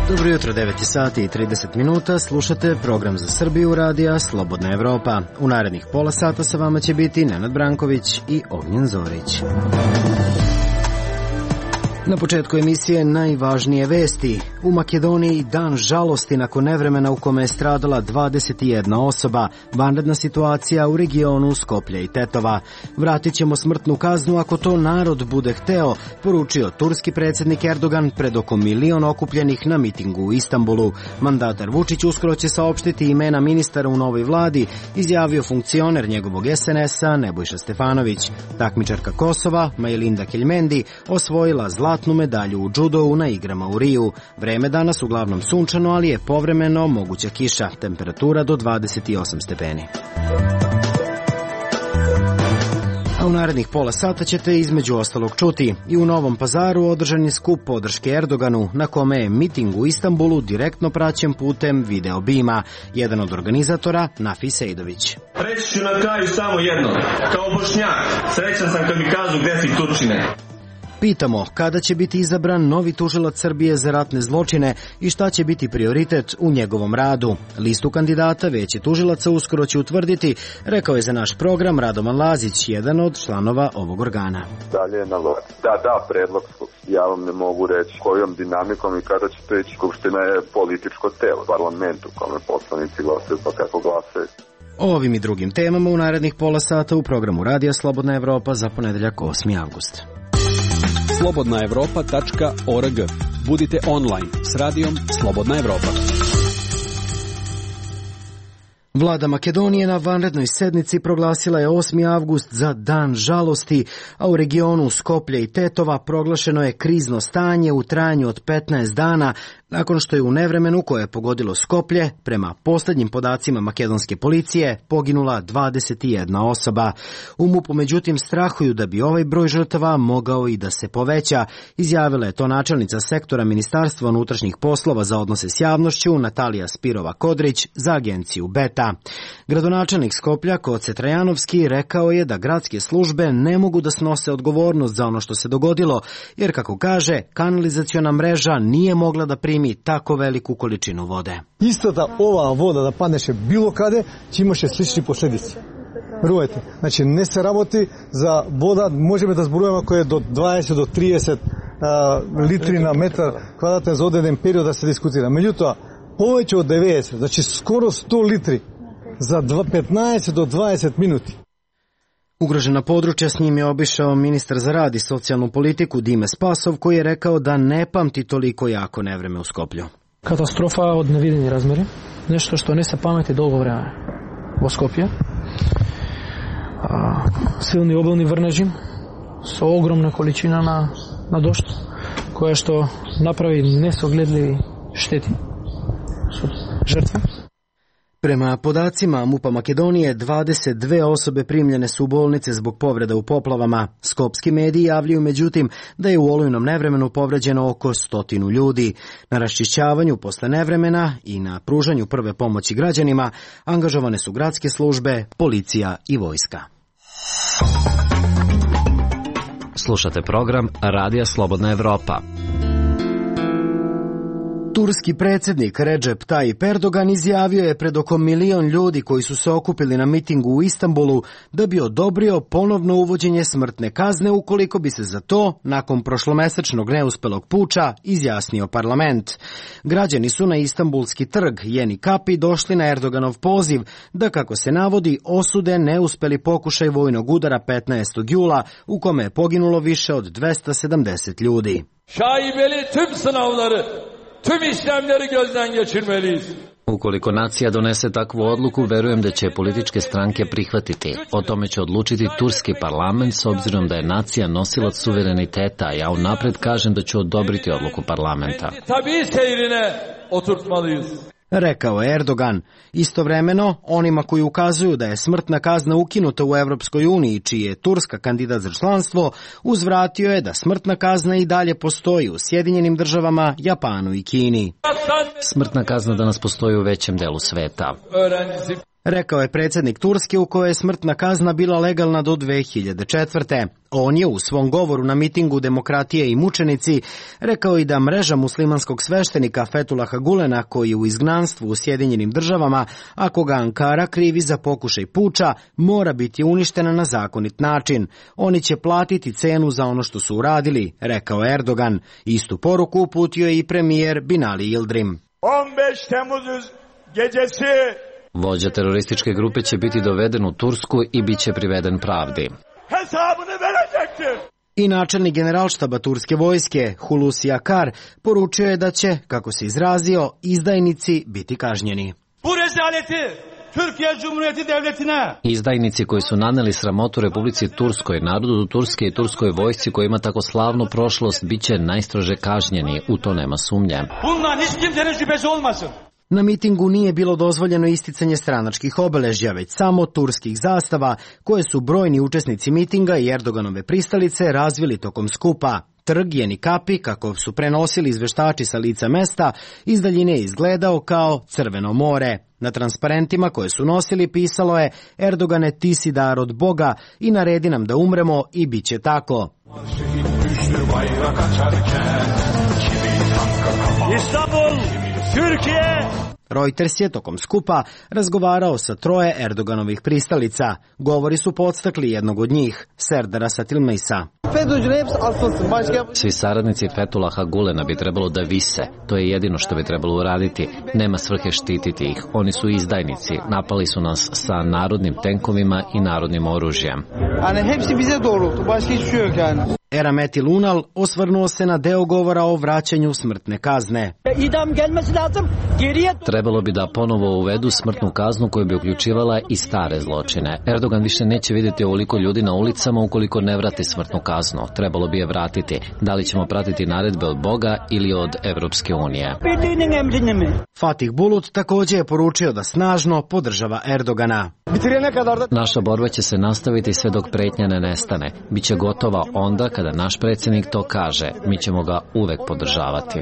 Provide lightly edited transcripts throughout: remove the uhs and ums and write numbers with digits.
Dobro jutro, 9 sati i 30 minuta, slušate program za Srbiju radija Slobodna Evropa. U narednih pola sata sa vama će biti Nenad Branković i Ognjen Zorić. Na početku emisije najvažnije vesti. U Makedoniji dan žalosti nakon nevremena u kome je stradala 21 osoba. Vanredna situacija u regionu Skoplja i Tetova. Vratit ćemo smrtnu kaznu ako to narod bude hteo, poručio turski predsjednik Erdogan pred oko 1 milion okupljenih na mitingu u Istanbulu. Mandatar Vučić uskoro će saopštiti imena ministara u novoj vladi, izjavio funkcioner njegovog SNS-a Nebojša Stefanović. Takmičarka Kosova, Majlinda Keljmendi, osvojila zlatnu medalju u džudovu na igrama u Riju. Vreme danas uglavnom sunčano, ali je povremeno moguća kiša. Temperatura do 28 stepeni. A u narednih pola sata ćete između ostalog čuti: i u Novom Pazaru održan je skup podrške Erdoganu, na kome je miting u Istanbulu direktno praćen putem video bima. Jedan od organizatora, Nafi Sejdović. Reći ću na kraju samo jedno. Kao Bošnjak, srećan sam kad mi kažu gde si Turčine. Pitamo kada će biti izabran novi tužilac Srbije za ratne zločine i šta će biti prioritet u njegovom radu. Listu kandidata Veće tužilaca uskoro će utvrditi, rekao je za naš program Radovan Lazić, jedan od članova ovog organa. Dalje na vladi. Da, predlog, ja vam ne mogu reći kojom dinamikom i kada će to ići. Skupština je političko telo, parlament u kome poslanici glasaju pa kako glasaju. O ovim i drugim temama u narednih pola sata u programu Radija Slobodna Evropa za ponedeljak 8. avgust. slobodnaevropa.org. Budite online s radijom Slobodna Evropa. Vlada Makedonije na vanrednoj sednici proglasila je 8. avgust za dan žalosti, a u regionu Skoplja i Tetova proglašeno je krizno stanje u trajanju od 15 dana, nakon što je u nevremenu koje je pogodilo Skoplje, prema posljednjim podacima makedonske policije, poginula 21 osoba. U MUP-u međutim strahuju da bi ovaj broj žrtava mogao i da se poveća, izjavila je to načelnica sektora Ministarstva unutrašnjih poslova za odnose s javnošću Natalija Spirova-Kodrić za agenciju Beta. Gradonačelnik Skoplja Koce Trajanovski rekao je da gradske službe ne mogu da snose odgovornost za ono što se dogodilo, jer kako kaže, kanalizaciona mreža nije mogla da primi tako veliku količinu vode. Isto da ova voda da padneše bilo kade, će imaše slični posljedici. Verujete, znači ne se raboti za voda, možemo da zbrujemo koje je do 20 do 30 litri na metar kvadratne za određen period da se diskutira. Međutim, poveće od 90, znači skoro 100 litri za 15 do 20 minuti. Ugrožena područja s njim je obišao ministar za rad i socijalnu politiku Dime Spasov, koji je rekao da ne pamti toliko jako nevreme u Skoplju. Katastrofa od neviđenih razmjera, nešto što ne se pameti dugo vremena u Skopje. Silni obilni vrneži sa ogromna količina na došt, koja što napravi nesogledljivi šteti su žrtve. Prema podacima MUP-a Makedonije, 22 osobe primljene su u bolnice zbog povreda u poplavama. Skopski mediji javljaju međutim da je u olujnom nevremenu povređeno oko 100 ljudi. Na raščišćavanju posle nevremena i na pružanju prve pomoći građanima angažovane su gradske službe, policija i vojska. Slušate program Radija Slobodna Evropa. Turski predsjednik Recep Tayyip Erdogan izjavio je pred oko 1 milion ljudi koji su se okupili na mitingu u Istanbulu da bi odobrio ponovno uvođenje smrtne kazne ukoliko bi se za to, nakon prošlomesečnog neuspelog puča, izjasnio parlament. Građani su na Istanbulski trg Yeni Kapı došli na Erdoganov poziv da, kako se navodi, osude neuspeli pokušaj vojnog udara 15. jula u kome je poginulo više od 270 ljudi. Şaibeli tüm sınavları, tüm işlemleri gözden geçirmeliyiz. Ukoliko nacija donese takvu odluku, verujem da će političke stranke prihvatiti. O tome će odlučiti turski parlament, s obzirom da je nacija nosilac suvereniteta, a ja unapred kažem da ću odobriti odluku parlamenta. Tabii seyrine oturtmalıyız. Rekao je Erdogan. Istovremeno, onima koji ukazuju da je smrtna kazna ukinuta u Evropskoj uniji, čiji je Turska kandidat za članstvo, uzvratio je da smrtna kazna i dalje postoji u Sjedinjenim državama, Japanu i Kini. Smrtna kazna danas postoji u većem delu sveta. rekao je predsjednik Turske u kojoj je smrtna kazna bila legalna do 2004. On je u svom govoru na mitingu Demokratije i mučenici rekao i da mreža muslimanskog sveštenika Fethullaha Gulena, koji je u izgnanstvu u Sjedinjenim Državama, ako ga Ankara krivi za pokušaj puča, mora biti uništena na zakonit način. Oni će platiti cenu za ono što su uradili, rekao Erdogan. Istu poruku uputio je i premijer Binali Yildirim. 15 Temmuz gecesi vođa terorističke grupe će biti doveden u Tursku i bit će priveden pravdi. I načelnik generalštaba turske vojske Hulusi Akar poručio je da će, kako se izrazio, izdajnici biti kažnjeni. Bu rezaleti Türkiye Cumhuriyeti Devleti'ne. Izdajnici koji su naneli sramotu Republici Turskoj, narodu Turske i turskoj vojsci koja ima tako slavnu prošlost, bit će najstrože kažnjeni, u to nema sumnje. Bundan hiç kimsenin şüphesi olmasın. Na mitingu nije bilo dozvoljeno isticanje stranačkih obeležja, već samo turskih zastava, koje su brojni učesnici mitinga i Erdoganove pristalice razvili tokom skupa. Trg Jeni Kapi, kako su prenosili izveštači sa lica mesta, iz daljine je izgledao kao Crveno more. Na transparentima koje su nosili pisalo je: Erdogane, ti si dar od Boga i naredi nam da umremo i bit će tako. İstanbul, Türkiye. Reuters je tokom skupa razgovarao sa troje Erdoganovih pristalica. Govori su podstakli jednog od njih, Serdara Satilmejsa. Svi saradnici Fethullaha Gulena bi trebalo da vise. To je jedino što bi trebalo uraditi. Nema svrhe štititi ih. Oni su izdajnici. Napali su nas sa narodnim tenkovima i narodnim oružjem. Erameti Lunal osvrnuo se na deo govora o vraćanju smrtne kazne. Trebalo bi da ponovo uvedu smrtnu kaznu koja bi uključivala i stare zločine. Erdogan više neće vidjeti ovoliko ljudi na ulicama ukoliko ne vrati smrtnu kaznu. Trebalo bi je vratiti. Da li ćemo pratiti naredbe od Boga ili od Evropske unije? Fatih Bulut također je poručio da snažno podržava Erdogana. Naša borba će se nastaviti sve dok pretnja ne nestane. Biće gotova onda kada naš predsjednik to kaže. Mi ćemo ga uvek podržavati.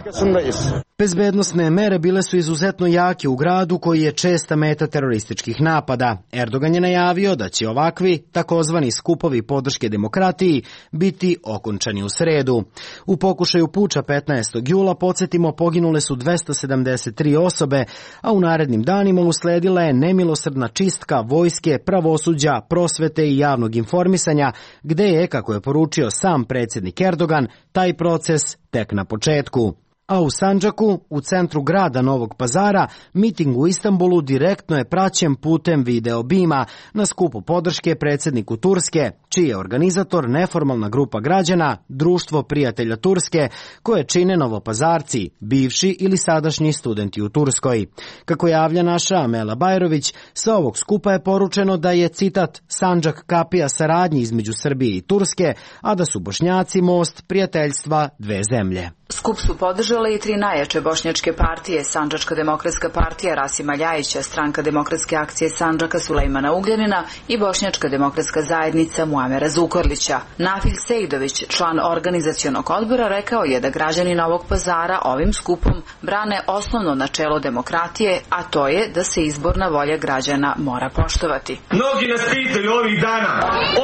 Bezbednosne mere bile su izuzetno jake u gradu koji je česta meta terorističkih napada. Erdogan je najavio da će ovakvi takozvani skupovi podrške demokratiji biti okončani u sredu. U pokušaju puča 15. jula, podsjetimo, poginule su 273 osobe, a u narednim danima usledila je nemilosrdna čistka vojske, pravosuđa, prosvete i javnog informisanja, gde je, kako je poručio sam predsjednik Erdogan, taj proces tek na početku. A u Sandžaku, u centru grada Novog Pazara, miting u Istanbulu direktno je praćen putem video bima na skupu podrške predsjedniku Turske, čiji je organizator neformalna grupa građana, Društvo prijatelja Turske, koje čine Novopazarci, bivši ili sadašnji studenti u Turskoj. Kako javlja naša Amela Bajrović, sa ovog skupa je poručeno da je, citat, Sandžak kapija saradnji između Srbije i Turske, a da su Bošnjaci most prijateljstva dve zemlje. Skup su podržale i tri najjače bošnjačke partije: Sandžačka demokratska partija Rasima Ljajića, Stranka demokratske akcije Sandžaka Sulejmana Ugljanina i Bošnjačka demokratska zajednica Muamera Zukorlića. Nafil Sejdović, član organizacionog odbora, rekao je da građani Novog Pazara ovim skupom brane osnovno načelo demokratije, a to je da se izborna volja građana mora poštovati. Mnogi nas pitaju ovih dana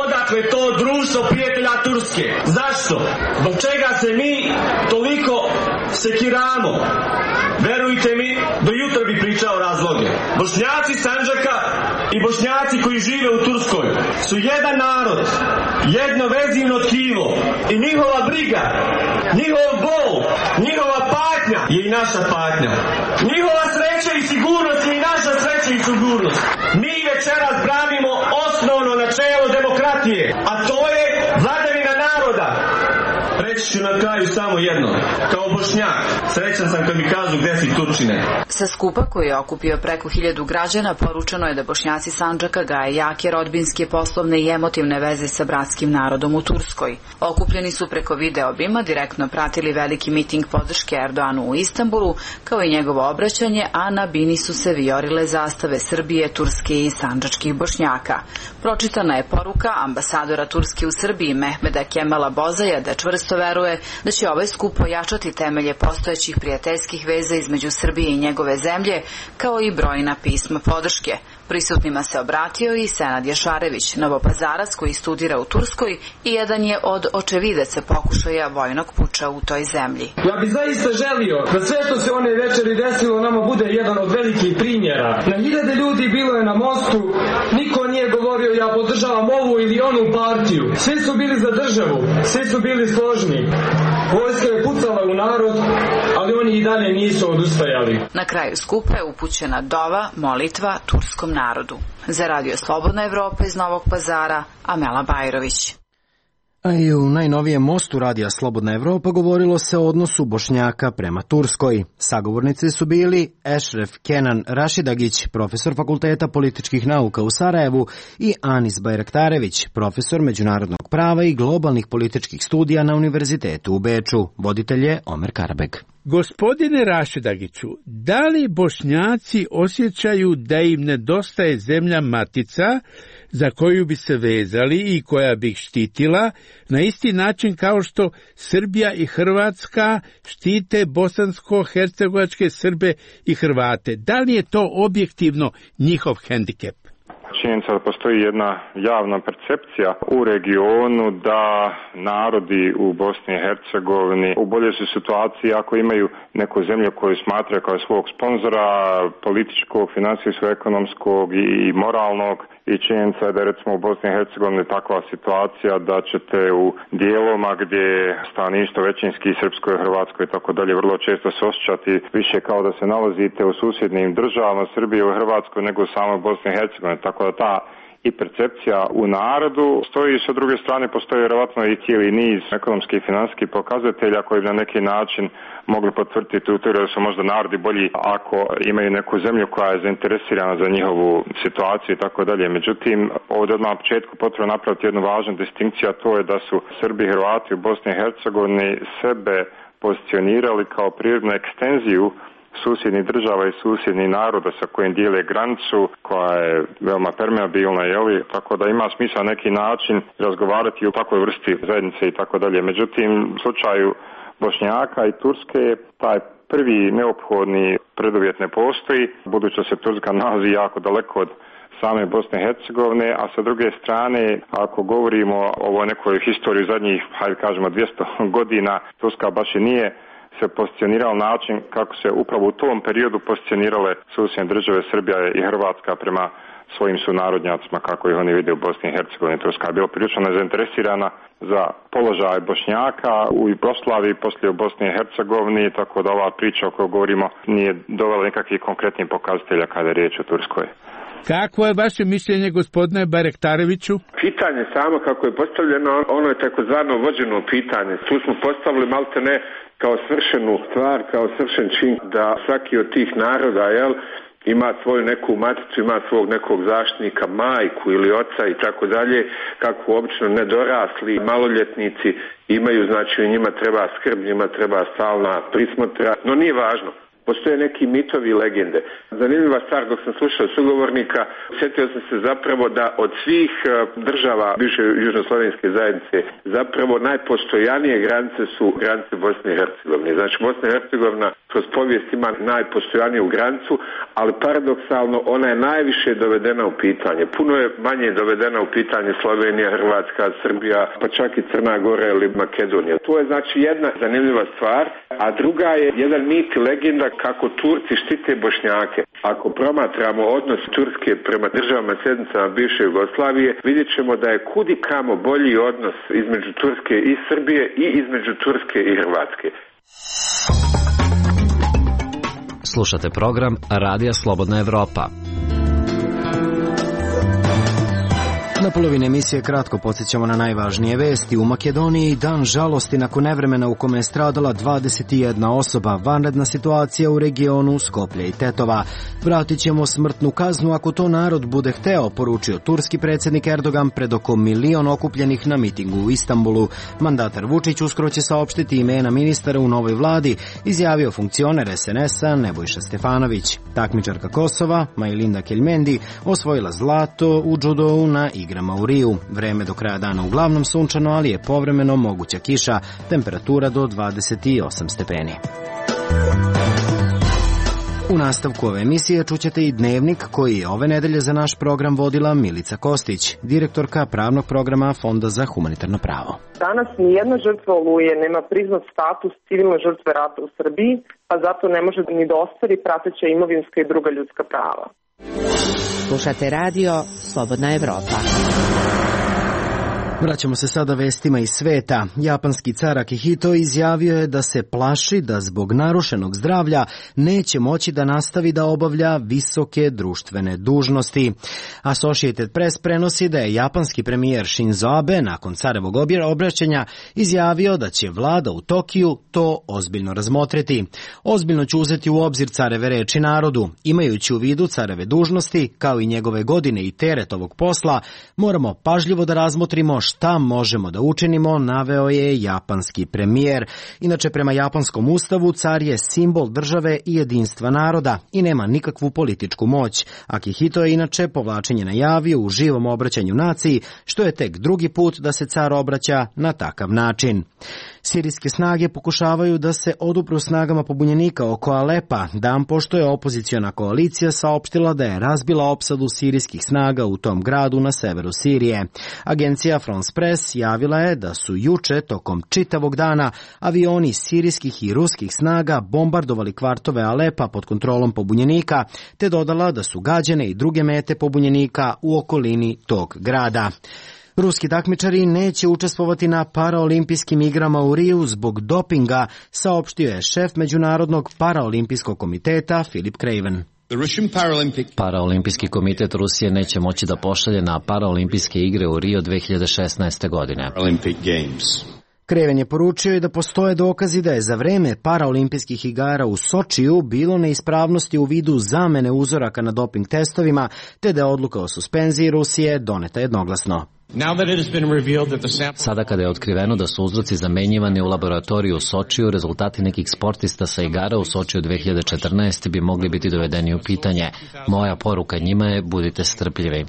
odakle to društvo prijatelja Turske. Zašto? Zbog čega se mi toliko sekiramo? Verujte mi, do jutra bi pričao razloge. Bošnjaci Sandžaka i Bošnjaci koji žive u Turskoj su jedan narod, jedno vezivno tkivo i njihova briga, njihov bol, njihova patnja je i naša patnja. Njihova sreća i sigurnost je i naša sreća i sigurnost. Mi večeras branimo osnovno načelo demokratije, a to je vladavina naroda. Reći ću na kraju samo jedno. Kao Bošnjak, srećan sam kad mi kažu gde si Turčine. Sa skupa koji je okupio preko 1000 građana, poručeno je da Bošnjaci Sandžaka gaje jake rodbinske, poslovne i emotivne veze sa bratskim narodom u Turskoj. Okupljeni su preko video obima direktno pratili veliki miting podrške Erdoanu u Istanbulu, kao i njegovo obraćanje, a na bini su se vijorile zastave Srbije, Turske i sandžačkih Bošnjaka. Pročitana je poruka ambasadora Turske u Srbiji Mehmeda Kemala Bozaja da čvrsto čvrsto veruje da će ovaj skup ojačati temelje postojećih prijateljskih veza između Srbije i njegove zemlje, kao i brojna pisma podrške. Prisutnima se obratio i Senad Jašarević, Novopazarac koji studira u Turskoj i jedan je od očevidaca pokušaja vojnog puča u toj zemlji. Ja bih zaista želio da sve što se one večeri desilo nama bude jedan od velikih primjera. Na hiljade ljudi bilo je na mostu, niko nije govorio ja podržavam ovu ili onu partiju. Svi su bili za državu, svi su bili složni. Vojska je pucala u narod, ali oni i dalje nisu odustajali. Na kraju skupa je upućena dova, molitva turskom narodu. Za Radio Slobodna Evropa iz Novog Pazara, Amela Bajrović. A i u najnovijem mostu Radija Slobodna Evropa govorilo se o odnosu Bošnjaka prema Turskoj. Sagovornici su bili Ešref Kenan Rašidagić, profesor Fakulteta političkih nauka u Sarajevu, i Anis Bajraktarević, profesor međunarodnog prava i globalnih političkih studija na Univerzitetu u Beču. Voditelj je Omer Karabeg. Gospodine Rašidagiću, da li Bošnjaci osjećaju da im nedostaje zemlja matica za koju bi se vezali i koja bi ih štitila, na isti način kao što Srbija i Hrvatska štite bosansko-hercegovačke Srbe i Hrvate? Da li je to objektivno njihov hendikep? Činjenica da postoji jedna javna percepcija u regionu da narodi u Bosni i Hercegovini u boljoj su situaciji ako imaju neku zemlju koju smatraju kao svog sponzora, političkog, financijskog, ekonomskog i moralnog. I činjenica je da je recimo u Bosni i Hercegovini takva situacija da ćete u dijelovima gdje stanovništvo većinski Srpsko i Hrvatsko i tako dalje vrlo često se osjećati više kao da se nalazite u susjednim državama Srbije i Hrvatskoj nego u samoj Bosni i Hercegovini. Tako da ta i percepcija u narodu stoji, sa druge strane postoji vjerovatno i cijeli niz ekonomskih i financijskih pokazatelja koji bi na neki način mogli potvrditi u teoriji da su možda narodi bolji ako imaju neku zemlju koja je zainteresirana za njihovu situaciju i tako dalje. Međutim, ovdje odmah na početku potrebno napraviti jednu važnu distinkciju, a to je da su Srbi i Hrvati u Bosni i Hercegovini sebe pozicionirali kao prirodnu ekstenziju susjednih država i susjednih naroda sa kojim dijele granicu, koja je veoma permeabilna, tako da ima smisla na neki način razgovarati o takvoj vrsti zajednice i tako dalje. Međutim, u slučaju Bošnjaka i Turske taj prvi neophodni preduvjet ne postoji, budući da se Turska nalazi jako daleko od same Bosne i Hercegovine, a sa druge strane, ako govorimo o ovoj nekoj historiji zadnjih, hajde kažemo, 200 godina, Turska baš i nije se pozicionirao način kako se upravo u tom periodu pozicionirale susjedne države Srbija i Hrvatska prema svojim sunarodnjacima, kako ih oni vide u Bosni i Hercegovini. Turska je bila prilično nezainteresirana za položaj Bošnjaka u Jugoslaviji, poslije u Bosni i Hercegovini, tako da ova priča o kojoj govorimo nije dovela nikakvih konkretnih pokazatelja kada je riječ o Turskoj. Kakvo je vaše mišljenje, gospodine Bajraktareviću? Pitanje samo kako je postavljeno, ono je takozvano vođeno pitanje. Tu smo postavili malte ne kao svršenu stvar, kao svršen čin da svaki od tih naroda, ima svoju neku maticu, ima svog nekog zaštitnika, majku ili oca i tako dalje, kako obično nedorasli maloljetnici imaju, znači njima treba skrb, njima treba stalna prismotra, no nije važno. Postoje neki mitovi i legende. Zanimljiva stvar, dok sam slušao sugovornika, sjetio sam se zapravo da od svih država bivše južnoslovenske zajednice zapravo najpostojanije granice su granice Bosne i Hercegovine. Znači Bosna i Hercegovina kroz povijest ima najpostojaniju granicu, ali paradoksalno ona je najviše dovedena u pitanje. Puno je manje dovedena u pitanje Slovenija, Hrvatska, Srbija, pa čak i Crna Gora ili Makedonija. To je znači jedna zanimljiva stvar, a druga je jedan mit i legenda kako Turci štite Bošnjake. Ako promatramo odnos Turske prema državama sjednicama bivše Jugoslavije, vidjet ćemo da je kudi kamo bolji odnos između Turske i Srbije i između Turske i Hrvatske. Slušate program Radija Slobodna Evropa. Na polovini emisije kratko podsjećamo na najvažnije vesti. U Makedoniji dan žalosti nakon nevremena u kome je stradala 21 osoba. Vanredna situacija u regionu Skoplje i Tetova. Vratit ćemo smrtnu kaznu ako to narod bude hteo, poručio turski predsjednik Erdogan pred oko 1 milion okupljenih na mitingu u Istanbulu. Mandatar Vučić uskoro će saopštiti imena ministara u novoj vladi, izjavio funkcioner SNS-a Nebojša Stefanović. Takmičarka Kosova, Majlinda Keljmendi, osvojila zlato u džudou na igrama igrama u Riju. Vreme do kraja dana uglavnom sunčano, ali je povremeno moguća kiša, temperatura do 28 stepeni. U nastavku ove emisije čućete i dnevnik koji je ove nedelje za naš program vodila Milica Kostić, direktorka pravnog programa Fonda za humanitarno pravo. Danas nijedna žrtva Oluje nema priznat status civilne žrtve rata u Srbiji, pa zato ne može ni da ostvari prateća imovinska i druga ljudska prava. Slušate radio Slobodna Evropa. Vraćamo se sada vestima iz sveta. Japanski car Akihito izjavio je da se plaši da zbog narušenog zdravlja neće moći da nastavi da obavlja visoke društvene dužnosti. Associated Press prenosi da je japanski premijer Shinzo Abe nakon carevog obraćanja izjavio da će vlada u Tokiju to ozbiljno razmotriti. Ozbiljno ću uzeti u obzir careve reči narodu. Imajući u vidu careve dužnosti, kao i njegove godine i teret ovog posla, moramo pažljivo da razmotrimo šta možemo da učinimo, naveo je japanski premijer. Inače, prema japanskom ustavu, car je simbol države i jedinstva naroda i nema nikakvu političku moć. Akihito je inače povlačenje najavio u živom obraćanju naciji, što je tek drugi put da se car obraća na takav način. Sirijske snage pokušavaju da se odupru snagama pobunjenika oko Alepa, dan pošto je opoziciona koalicija saopštila da je razbila opsadu sirijskih snaga u tom gradu na severu Sirije. Agencija France Press javila je da su juče tokom čitavog dana avioni sirijskih i ruskih snaga bombardovali kvartove Alepa pod kontrolom pobunjenika, te dodala da su gađene i druge mete pobunjenika u okolini tog grada. Ruski takmičari neće učestvovati na paraolimpijskim igrama u Riju zbog dopinga, saopštio je šef Međunarodnog paraolimpijskog komiteta Philip Craven. Paraolimpijski komitet Rusije neće moći da pošalje na paraolimpijske igre u Rio 2016. godine. Craven je poručio i da postoje dokazi da je za vreme paraolimpijskih igara u Sočiju bilo neispravnosti u vidu zamene uzoraka na doping testovima, te da je odluka o suspenziji Rusije doneta jednoglasno. Sada kada je otkriveno da su uzroci zamenjivani u laboratoriju u Sočiju, rezultati nekih sportista sa igara u Sočiju 2014. bi mogli biti dovedeni u pitanje. Moja poruka njima je: budite strpljivi.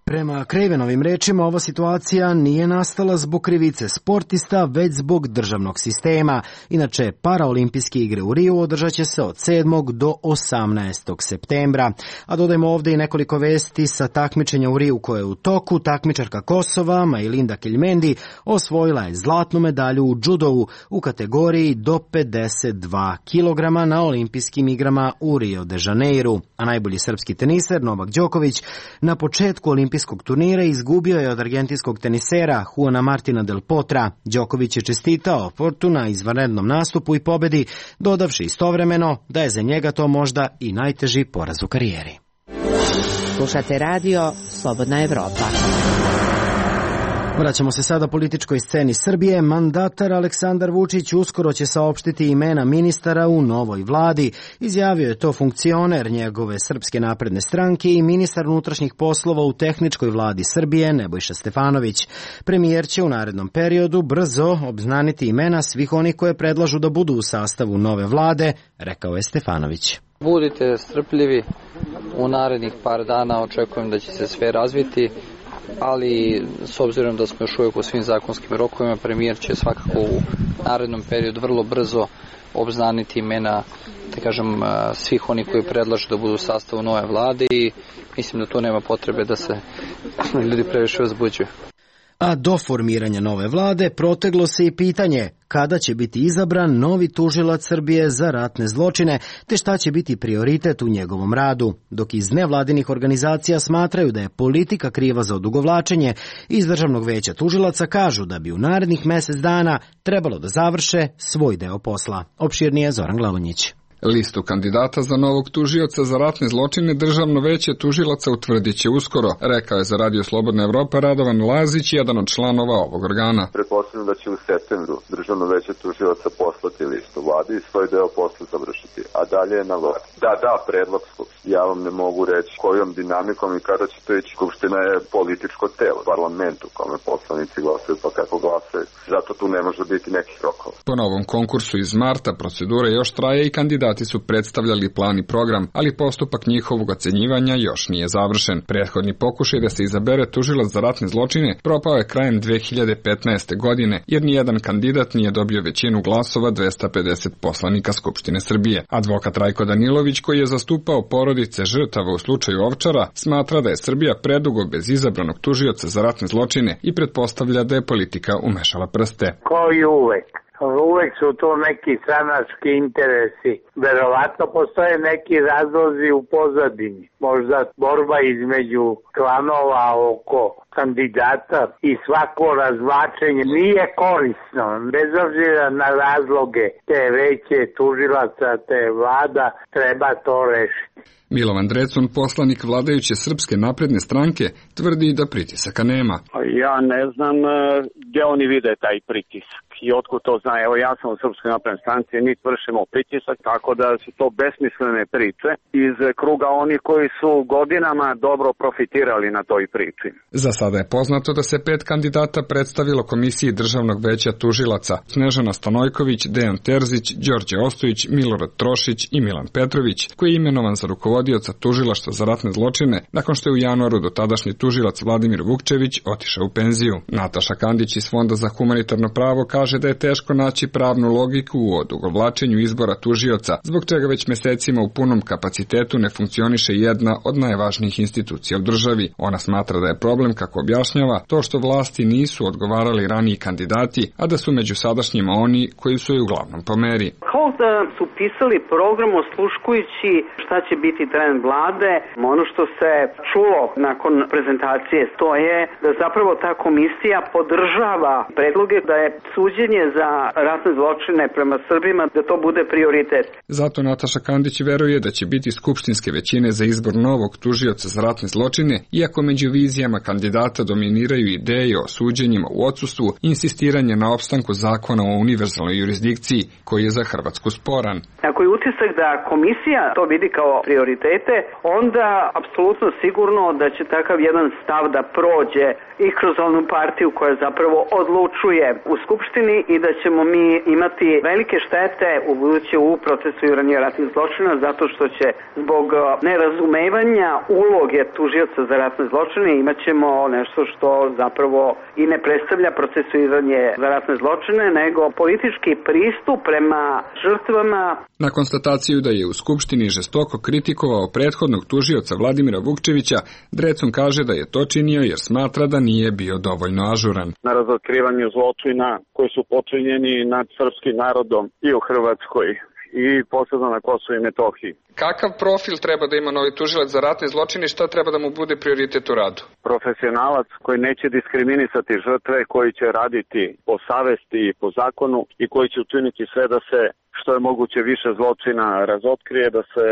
Prema Cravenovim rečima, ova situacija nije nastala zbog krivice sportista, već zbog državnog sistema. Inače, paraolimpijske igre u Riju održat će se od 7. do 18. septembra. A dodajmo ovdje i nekoliko vesti sa takmičenja u Riju koje je u toku. Takmičarka Kosova, Majlinda Keljmendi, osvojila je zlatnu medalju u džudovu u kategoriji do 52 kg na olimpijskim igrama u Rio de Janeiru. A najbolji srpski teniser Novak Đoković na početku olimpijskog turnira izgubio je od argentinskog tenisera Juana Martina del Potra. Đoković je čestitao Portu na izvanrednom nastupu i pobedi, dodavši istovremeno da je za njega to možda i najteži poraz u karijeri. Slušate radio Slobodna Evropa. Vraćamo se sada političkoj sceni Srbije. Mandatar Aleksandar Vučić uskoro će saopštiti imena ministara u novoj vladi. Izjavio je to funkcioner njegove Srpske napredne stranke i ministar unutrašnjih poslova u tehničkoj vladi Srbije Nebojša Stefanović. Premijer će u narednom periodu brzo obznaniti imena svih onih koje predlažu da budu u sastavu nove vlade, rekao je Stefanović. Budite strpljivi, u narednih par dana očekujem da će se sve razviti, ali s obzirom da smo još uvijek u svim zakonskim rokovima, premijer će svakako u narednom periodu vrlo brzo obznaniti imena, da kažem, svih onih koji predlažu da budu u sastavu nove vlade i mislim da tu nema potrebe da se ljudi previše uzbuđuju. A do formiranja nove vlade proteglo se i pitanje kada će biti izabran novi tužilac Srbije za ratne zločine, te šta će biti prioritet u njegovom radu. Dok iz nevladinih organizacija smatraju da je politika kriva za odugovlačenje, iz Državnog veća tužilaca kažu da bi u narednih mjesec dana trebalo da završe svoj deo posla. Opširnije Zoran Glavonjić. Listu kandidata za novog tužioca za ratne zločine Državno veće tužilaca utvrdit će uskoro, rekao je za Radio Slobodna Evropa Radovan Lazić, jedan od članova ovog organa. Pretpostavljam da će u septembru Državno veće tužilaca poslati listu vladi i svoj deo posla završiti, a dalje je na vladi. Da, predlog skupštine. Ja vam ne mogu reći kojom dinamikom i kada će to ići. Skupština je političko telo, parlament u kome poslanici glasaju pa kako glasaju. Zato tu ne može biti nekih rokova. Po novom konkursu iz marta procedura još traje i kandidat kandidati su predstavljali plan i program, ali postupak njihovog ocenjivanja još nije završen. Prethodni pokušaj da se izabere tužilac za ratne zločine propao je krajem 2015. godine, jer nijedan kandidat nije dobio većinu glasova 250 poslanika Skupštine Srbije. Advokat Rajko Danilović, koji je zastupao porodice žrtava u slučaju Ovčara, smatra da je Srbija predugo bez izabranog tužioca za ratne zločine i pretpostavlja da je politika umešala prste. Kao i uvek. Uvek su to neki stranački interesi. Verovatno postoje neki razlozi u pozadini. Možda borba između klanova oko kandidata i svako razvlačenje nije korisno. Bez obzira na razloge te veće tužilaca, te vlada, treba to rešiti. Milovan Drecun, poslanik vladajuće Srpske napredne stranke, tvrdi da pritisaka nema. Ja ne znam gdje oni vide taj pritisak i otkud to zna. Evo, ja sam u Srpskoj naprednoj stranci, niti vršimo pritisak, tako da su to besmislene priče iz kruga onih koji su godinama dobro profitirali na toj priči. Za sada je poznato da se 5 kandidata predstavilo Komisiji Državnog veća tužilaca: Snežana Stanojković, Dejan Terzić, Đorđe Ostojić, Milorad Trošić i Milan Petrović, koji je imenovan za rukovodioca tužilaštva za ratne zločine nakon što je u januaru dotadašnji tužilac Vladimir Vukčević otišao u penziju. Nataša Kandić iz Fonda za humanitarno pravo kaže da je teško naći pravnu logiku u odugovlačenju izbora tužioca, zbog čega već mesecima u punom kapacitetu ne funkcioniše jedna od najvažnijih institucija u državi. Ona smatra da je problem, kako objašnjava, to što vlasti nisu odgovarali raniji kandidati, a da su među sadašnjima oni koji su je uglavnom po meri. Kao da su pisali program osluškujući šta će biti trend vlade. Ono što se čulo nakon prezentacije to je da zapravo ta komisija podržava predloge da je suđenje za ratne zločine prema Srbima, da to bude prioritet. Zato Nataša Kandić veruje da će biti skupštinske većine za izbor novog tužioca za ratne zločine, iako među vizijama kandidata dominiraju ideje o suđenjima u odsustvu i insistiranje na opstanku zakona o univerzalnoj jurisdikciji, koji je za Hrvatsku sporan. Ako je utisak da komisija to vidi kao prioritete, onda apsolutno sigurno da će takav jedan stav da prođe i kroz onu partiju koja zapravo odlučuje u Skupštini i da ćemo mi imati velike štete u buduće u procesuiranju ratnih zločina, zato što će zbog nerazumevanja uloge tužioca za ratne zločine imat ćemo nešto što zapravo i ne predstavlja procesuiranje za ratne zločine, nego politički pristup prema žrtvama. Na konstataciju da je u Skupštini žestoko kritikovao prethodnog tužioca Vladimira Vukčevića, Drecun kaže da je to činio jer smatra da nije bio dovoljno ažuran. Na razotkrivanju zločina koji su počinjeni nad srpskim narodom i u Hrvatskoj i posebno na Kosovu i Metohiji. Kakav profil treba da ima novi tužilac za ratne zločine i šta treba da mu bude prioritet u radu? Profesionalac koji neće diskriminisati žrtve, koji će raditi po savesti i po zakonu i koji će učiniti sve da se što je moguće više zločina razotkrije, da se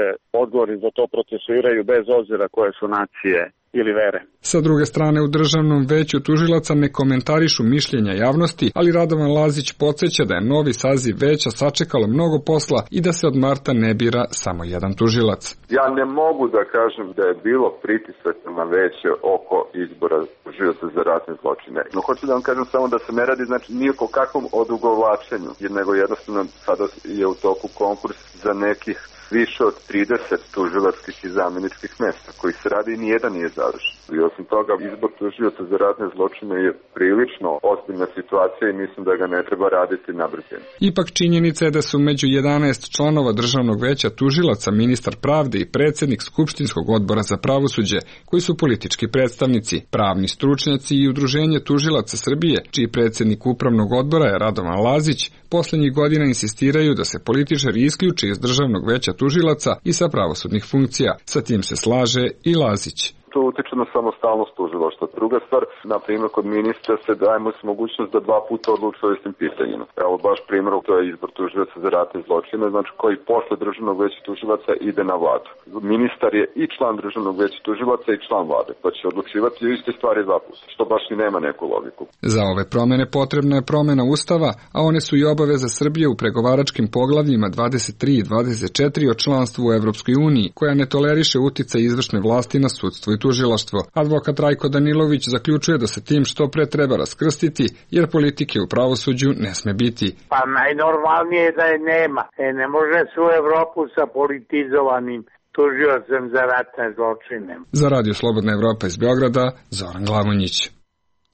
odgovori za to procesuiraju bez obzira koje su nacije ili vere. Sa druge strane, u Državnom veću tužilaca ne komentarišu mišljenja javnosti, ali Radovan Lazić podsjeća da je novi saziv veća sačekalo mnogo posla i da se od marta ne bira samo jedan tužilac. Ja ne mogu da kažem da je bilo pritisak na veće oko izbora tužioca za ratne zločine. No hoću da vam kažem samo da se ne radi ni o kakvom odugovlačenju, nego jednostavno sada je u toku konkurs za nekih više od 30 tužilačkih i zamjeničkih mesta, koji se radi i nijedan nije završen. I osim toga, izbor tužioca za ratne zločine je prilično ozbiljna situacija i mislim da ga ne treba raditi na brzinu. Ipak činjenica je da su među 11 članova Državnog veća tužilaca ministar pravde i predsjednik Skupštinskog odbora za pravosuđe, koji su politički predstavnici, pravni stručnjaci i Udruženje tužilaca Srbije, čiji predsjednik upravnog odbora je Radovan Lazić, poslednjih godina insistiraju da se političari isključe iz Državnog veća tužilaca i sa pravosudnih funkcija. Sa tim se slaže i Lazić. To utiče na samostalnost tužilaštva. Druga stvar, na primjer, kod ministra se dajemo mogućnost da 2 puta odlučuje o istim pitanjima. Evo baš primjer, to je izbor tužilaca za ratne zločine, znači koji posle Državnog veća tužilaca ide na vladu. Ministar je i član Državnog veća tužilaca i član vlade, pa će odlučivati o iste stvari 2 puta, što baš i nema neku logiku. Za ove promene potrebna je promena Ustava, a one su i obaveza Srbije u pregovaračkim poglavljima 23 i 24 o članstvu u Evropskoj uniji, koja ne toleriše uticaj izvršne vlasti na sudstvo i tužilaštvo. Advokat Rajko Danilović zaključuje da se tim što pre treba raskrstiti, jer politike u pravosuđu ne sme biti. Pa najnormalnije je da je nema. Ne može svu Evropu sa politizovanim tužiocem za ratne zločine. Za Radio Slobodna Evropa iz Beograda, Zoran Glavonjić.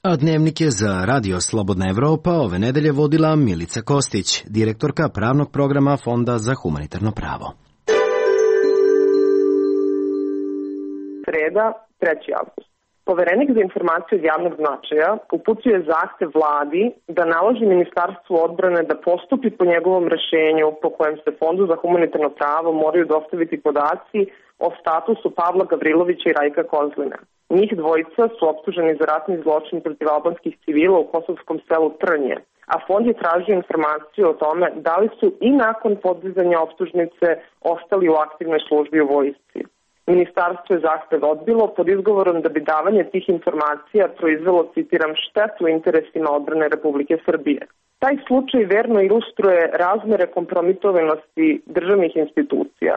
A dnevnik je za Radio Slobodna Evropa ove nedelje vodila Milica Kostić, direktorka pravnog programa Fonda za humanitarno pravo. Sreda, 3. avgust. Poverenik za informacije od javnog značaja uputio zahtev vladi da naloži Ministarstvu odbrane da postupi po njegovom rešenju po kojem se Fondu za humanitarno pravo moraju dostaviti podaci o statusu Pavla Gavrilovića i Rajka Kozlina. Njih dvojica su optuženi za ratni zločin protiv albanskih civila u kosovskom selu Trnje, a Fond je tražio informaciju o tome da li su i nakon podizanja optužnice ostali u aktivnoj službi u vojsci. Ministarstvo je zahtev odbilo pod izgovorom da bi davanje tih informacija proizvelo, citiram, štetu interesima odbrane Republike Srbije. Taj slučaj verno ilustruje razmere kompromitovanosti državnih institucija.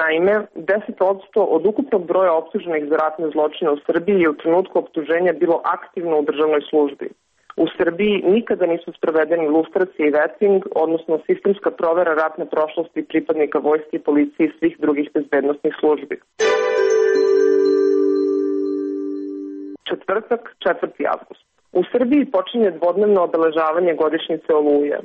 Naime, 10% od ukupnog broja optuženih za ratne zločine u Srbiji je u trenutku optuženja bilo aktivno u državnoj službi. U Srbiji nikada nisu sprovedeni lustracije i veting, odnosno sistemska provera ratne prošlosti pripadnika vojske i policije i svih drugih bezbednostnih službi. Četvrtak, 4. avgust. U Srbiji počinje dvodnevno obeležavanje godišnjice Oluje.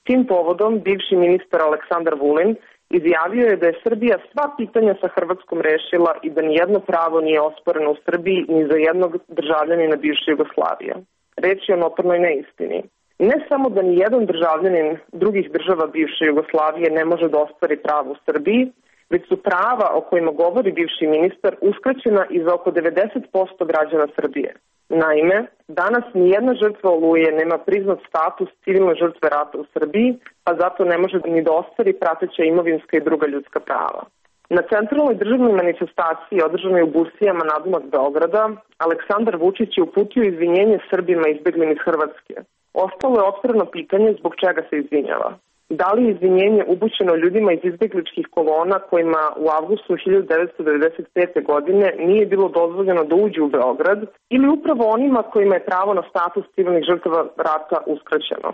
Tim povodom bivši ministar Aleksandar Vulin izjavio je da je Srbija sva pitanja sa Hrvatskom rešila i da nijedno pravo nije osporeno u Srbiji ni za jednog državljanina bivše Jugoslavije. Reč je o notornoj neistini. Ne samo da nijedan državljanin drugih država bivše Jugoslavije ne može da ostvari pravo u Srbiji, već su prava o kojima govori bivši ministar uskraćena i za oko 90% građana Srbije. Naime, danas nijedna žrtva Oluje nema priznat status civilne žrtve rata u Srbiji, pa zato ne može ni da ostvari prateća imovinska i druga ljudska prava. Na centralnoj državnoj manifestaciji održanoj u Busijama nadomak Beograda, Aleksandar Vučić je uputio izvinjenje Srbima izbeglim iz Hrvatske. Ostalo je otvoreno pitanje zbog čega se izvinjava. Da li je izvinjenje upućeno ljudima iz izbegličkih kolona kojima u avgustu 1995. godine nije bilo dozvoljeno da uđu u Beograd ili upravo onima kojima je pravo na status civilnih žrtava rata uskraćeno?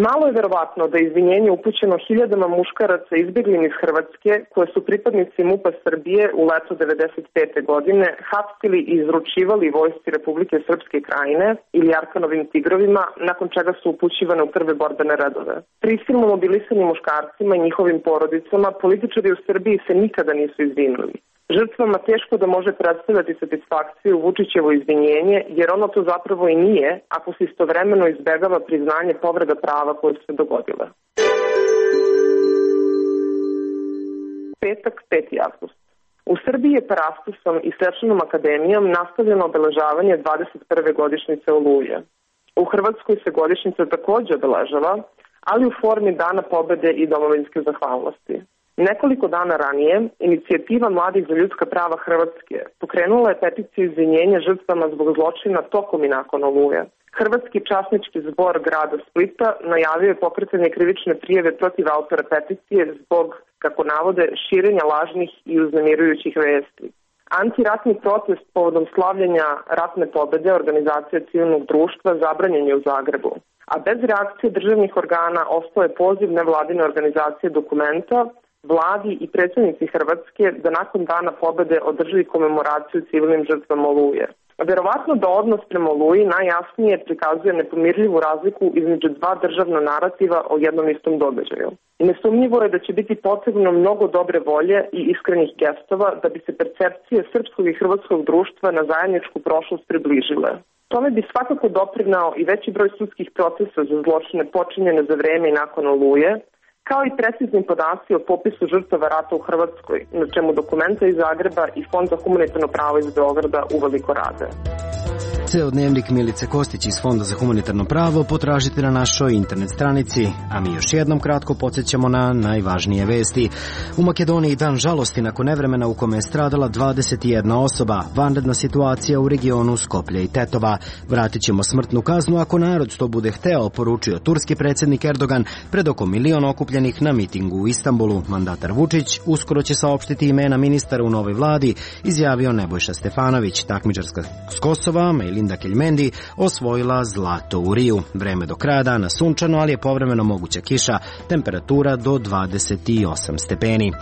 Malo je verovatno da je izvinjenje upućeno hiljadama muškaraca izbeglim iz Hrvatske koje su pripadnici MUP-a Srbije u leto 1995. godine hapsili i izručivali vojsci Republike Srpske Krajine ili Arkanovim tigrovima, nakon čega su upućivane u prve borbene redove. Prisilno mobilisani muškarcima i njihovim porodicama političari u Srbiji se nikada nisu izvinuli. Žrtvama teško da može predstavljati satisfakciju Vučićevo izvinjenje, jer ono to zapravo i nije, ako se istovremeno izbegava priznanje povreda prava koje su se dogodile. Petak, 5. avgust. U Srbiji je Parastosom i Svečanom akademijom nastavljeno obeležavanje 21. godišnjice Oluje. U Hrvatskoj se godišnjica takođe obeležava, ali u formi Dana pobede i domovinske zahvalnosti. Nekoliko dana ranije, inicijativa Mladih za ljudska prava Hrvatske pokrenula je peticiju izvinjenja žrtvama zbog zločina tokom i nakon Oluje. Hrvatski časnički zbor grada Splita najavio je pokretanje krivične prijave protiv autora peticije zbog, kako navode, širenja lažnih i uznemirujućih vesti. Antiratni protest povodom slavljenja ratne pobede organizacije civilnog društva zabranjen je u Zagrebu, a bez reakcije državnih organa ostao je poziv nevladine organizacije Dokumenta vladi i predsjednici Hrvatske da nakon dana pobede održi komemoraciju civilnim žrtvama Oluje. Verovatno da odnos prema Oluji najjasnije prikazuje nepomirljivu razliku između dva državna narativa o jednom istom događaju. I nesumnjivo je da će biti potrebno mnogo dobre volje i iskrenih gestova da bi se percepcije srpskog i hrvatskog društva na zajedničku prošlost približile. Tome bi svakako doprinao i veći broj sudskih procesa za zločine počinjene za vreme i nakon Oluje, kao i precizni podaci o popisu žrtava rata u Hrvatskoj, na čemu Dokumenta iz Zagreba i Fond za humanitarno pravo iz Beograda uveliko rade. Ceo dnevnik Milice Kostić iz Fonda za humanitarno pravo potražite na našoj internet stranici, a mi još jednom kratko podsjećamo na najvažnije vesti. U Makedoniji dan žalosti nakon nevremena u kome je stradala 21 osoba, vanredna situacija u regionu Skoplja i Tetova. Vratit ćemo smrtnu kaznu ako narod to bude hteo, poručio turski predsjednik Erdogan pred oko 1 milion okupljenih na mitingu u Istanbulu. Mandatar Vučić uskoro će saopštiti imena ministara u novoj vladi, izjavio Nebojša Stefanović. Takmičarska s Kosova, Melinda Keljmendi, osvojila zlato u Riju. Vreme do kraja dana sunčano, ali je povremeno moguća kiša, temperatura do 28 stepeni.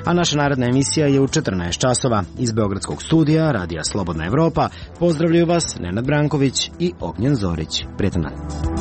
A naša naredna emisija je u 14 časova. Iz Beogradskog studija Radija Slobodna Evropa pozdravljaju vas Nenad Branković i Ognjen Zorić. Prijetan dan.